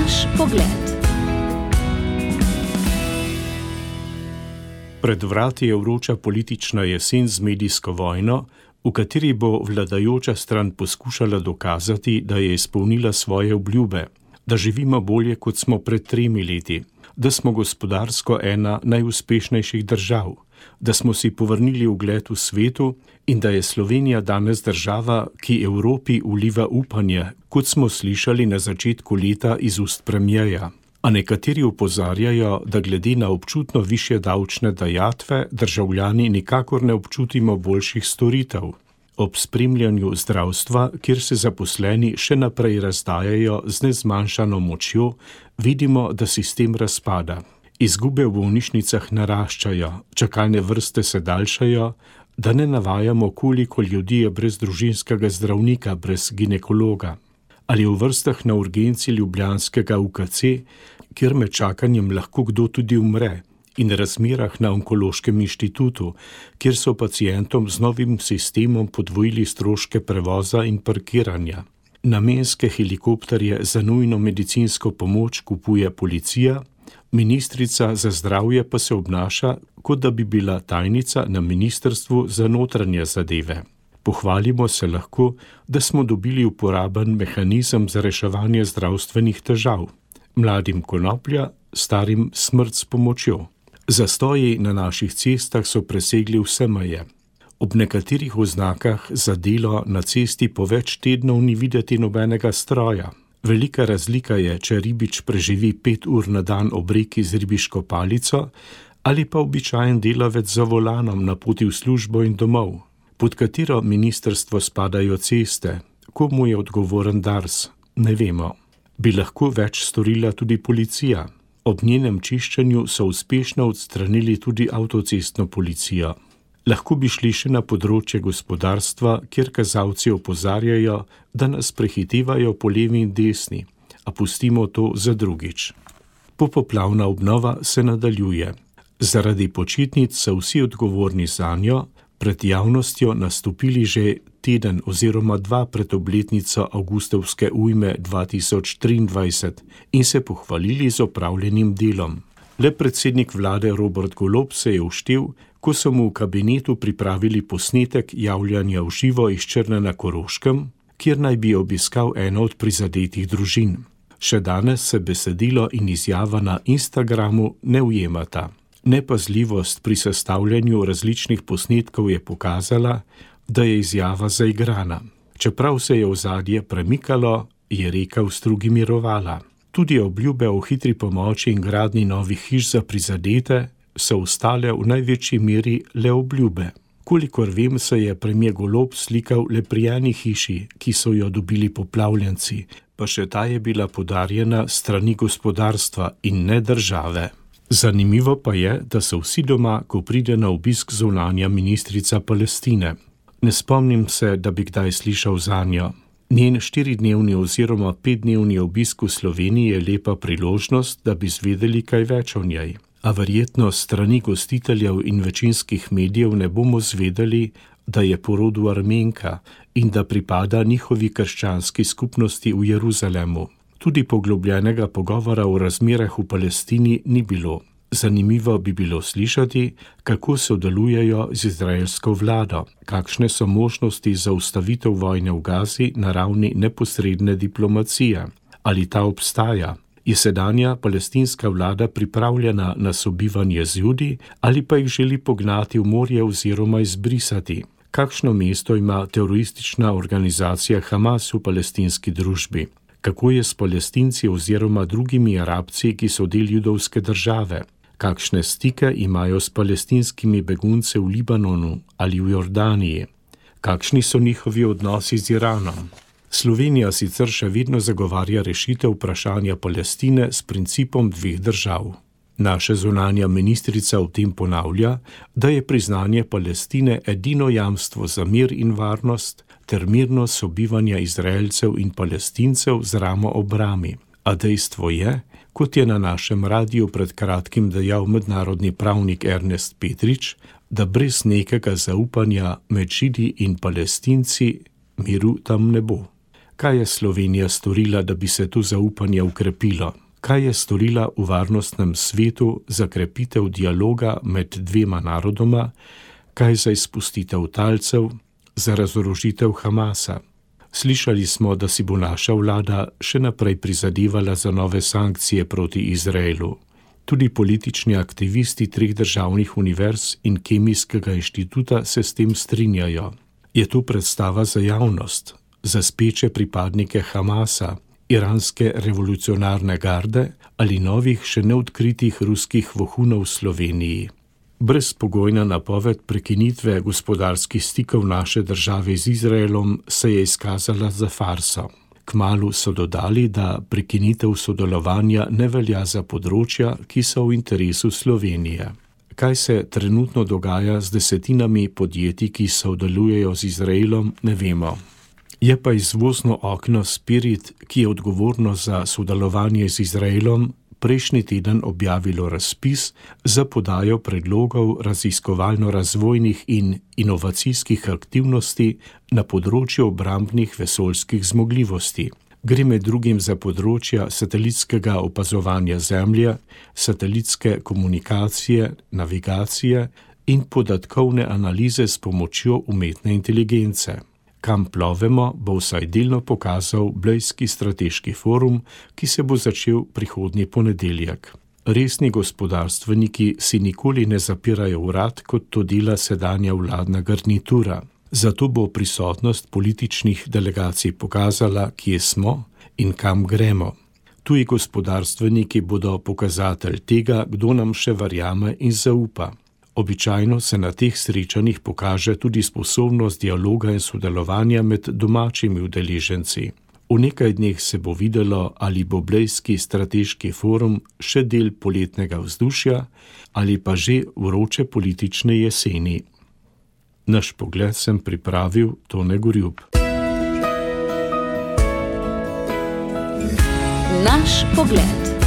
Naš pogled. Pred vrati je vroča politična jesen z medijsko vojno, v kateri bo vladajoča stran poskušala dokazati, da je izpolnila svoje obljube, da živimo bolje, kot smo pred 3 leti, da smo gospodarsko ena najuspešnejših držav, da smo si povrnili ugled v svetu in da je Slovenija danes država, ki Evropi vliva upanje, kot smo slišali na začetku leta iz ust premierja. A nekateri opozarjajo, da glede na občutno višje davčne dajatve državljani nikakor ne občutimo boljših storitev. Ob spremljanju zdravstva, kjer se zaposleni še naprej razdajajo z nezmanjšano močjo, vidimo, da sistem razpada. Izgube v bolnišnicah naraščajo, čakalne vrste se daljšajo, da ne navajamo, koliko ljudi je brez družinskega zdravnika, brez ginekologa. Ali v vrstah na urgenci ljubljanskega UKC, kjer med čakanjem lahko kdo tudi umre, in razmerah na Onkološkem inštitutu, kjer so pacientom z novim sistemom podvojili stroške prevoza in parkiranja. Namenske helikopterje za nujno medicinsko pomoč kupuje policija, ministrica za zdravje pa se obnaša, kot da bi bila tajnica na Ministrstvu za notranje zadeve. Pohvalimo se lahko, da smo dobili uporaben mehanizem za reševanje zdravstvenih težav. Mladim konoplja, starim smrt s pomočjo. Zastoji na naših cestah so presegli vse meje. Ob nekaterih oznakah za delo na cesti po več tednov ni videti nobenega stroja. Velika razlika je, če ribič preživi 5 ur na dan ob reki z ribiško palico ali pa običajen delavec za volanom na poti v službo in domov. Pod katero ministrstvo spadajo ceste, komu je odgovoren Dars, ne vemo. Bi lahko več storila tudi policija. Ob njenem čiščenju so uspešno odstranili tudi avtocestno policijo. Lahko bi šli še na področje gospodarstva, kjer kazalci opozarjajo, da nas prehitevajo po levi in desni, a pustimo to za drugič. Popoplavna obnova se nadaljuje. Zaradi počitnic so vsi odgovorni zanjo, pred javnostjo nastopili že teden oziroma 2 pred obletnico avgustovske ujme 2023 in se pohvalili z opravljenim delom. Le predsednik vlade Robert Golob se je uštel, ko so mu v kabinetu pripravili posnetek javljanja v živo iz Črne na Koroškem, kjer naj bi obiskal eno od prizadetih družin. Še danes se besedilo in izjava na Instagramu ne ujemata. Nepazljivost pri sestavljanju različnih posnetkov je pokazala, da je izjava zaigrana. Čeprav se je ozadje premikalo, je reka v strugi mirovala. Tudi obljube o hitri pomoči in gradnji novih hiš za prizadete so ostale v največji meri le obljube. Kolikor vem, se je premier Golob slikal le pri eni hiši, ki so jo dobili poplavljenci, pa še ta je bila podarjena strani gospodarstva in ne države. Zanimivo pa je, da so vsi doma, ko pride na obisk zunanja ministrica Palestine. Ne spomnim se, da bi kdaj slišal zanjo. Njen 4-dnevni oziroma 5-dnevni obisk v Sloveniji je lepa priložnost, da bi zvedeli kaj več o njej. A verjetno strani gostiteljev in večinskih medijev ne bomo zvedeli, da je po rodu Armenka in da pripada njihovi krščanski skupnosti v Jeruzalemu. Tudi poglobljenega pogovora o razmerah v Palestini ni bilo. Zanimivo bi bilo slišati, kako sodelujejo z izraelsko vlado, kakšne so možnosti za ustavitev vojne v Gazi na ravni neposredne diplomacije. Ali ta obstaja? Je sedanja palestinska vlada pripravljena na sobivanje z Judi ali pa jih želi pognati v morje oziroma izbrisati? Kakšno mesto ima teroristična organizacija Hamas v palestinski družbi? Kako je s Palestinci oziroma drugimi Arabci, ki so del judovske države? Kakšne stike imajo s palestinskimi begunci v Libanonu ali v Jordaniji? Kakšni so njihovi odnosi z Iranom? Slovenija sicer še vedno zagovarja rešitev vprašanja Palestine s principom 2 držav. Naša zunanja ministrica v tem ponavlja, da je priznanje Palestine edino jamstvo za mir in varnost ter mirno sobivanje Izraelcev in Palestincev z ramo ob rami. A dejstvo je, kot je na našem radiju pred kratkim dejal mednarodni pravnik Ernest Petrič, da brez nekega zaupanja med Židi in Palestinci miru tam ne bo. Kaj je Slovenija storila, da bi se to zaupanje ukrepilo? Kaj je storila v varnostnem svetu za krepitev dialoga med dvema narodoma? Kaj za izpustitev talcev, za razorožitev Hamasa? Slišali smo, da si bo naša vlada še naprej prizadevala za nove sankcije proti Izraelu. Tudi politični aktivisti 3 državnih univerz in Kemijskega inštituta se s tem strinjajo. Je to predstava za javnost, za speče pripadnike Hamasa, iranske revolucionarne garde ali novih še neodkritih ruskih vohunov v Sloveniji? Brezpogojna napoved prekinitve gospodarskih stikov naše države z Izraelom se je izkazala za farso. Kmalu so dodali, da prekinitev sodelovanja ne velja za področja, ki so v interesu Slovenije. Kaj se trenutno dogaja z desetinami podjetij, ki sodelujejo z Izraelom, ne vemo. Je pa izvozno okno Spirit, ki je odgovorno za sodelovanje z Izraelom, prejšnji teden objavilo razpis za podajo predlogov raziskovalno-razvojnih in inovacijskih aktivnosti na področju obrambnih vesoljskih zmogljivosti. Gre med drugim za področja satelitskega opazovanja Zemlje, satelitske komunikacije, navigacije in podatkovne analize s pomočjo umetne inteligence. Kam plovemo, bo vsaj delno pokazal Blejski strateški forum, ki se bo začel prihodnji ponedeljek. Resni gospodarstveniki si nikoli ne zapirajo vrat, kot to dela sedanja vladna garnitura. Zato bo prisotnost političnih delegacij pokazala, kje smo in kam gremo. Tuji gospodarstveniki bodo pokazatelj tega, kdo nam še verjame in zaupa. Običajno se na teh srečanjih pokaže tudi sposobnost dialoga in sodelovanja med domačimi udeleženci. V nekaj dneh se bo videlo, ali bo Blejski strateški forum še del poletnega vzdušja ali pa že vroče politične jeseni. Naš pogled sem pripravil Tone Gorjup. Naš pogled.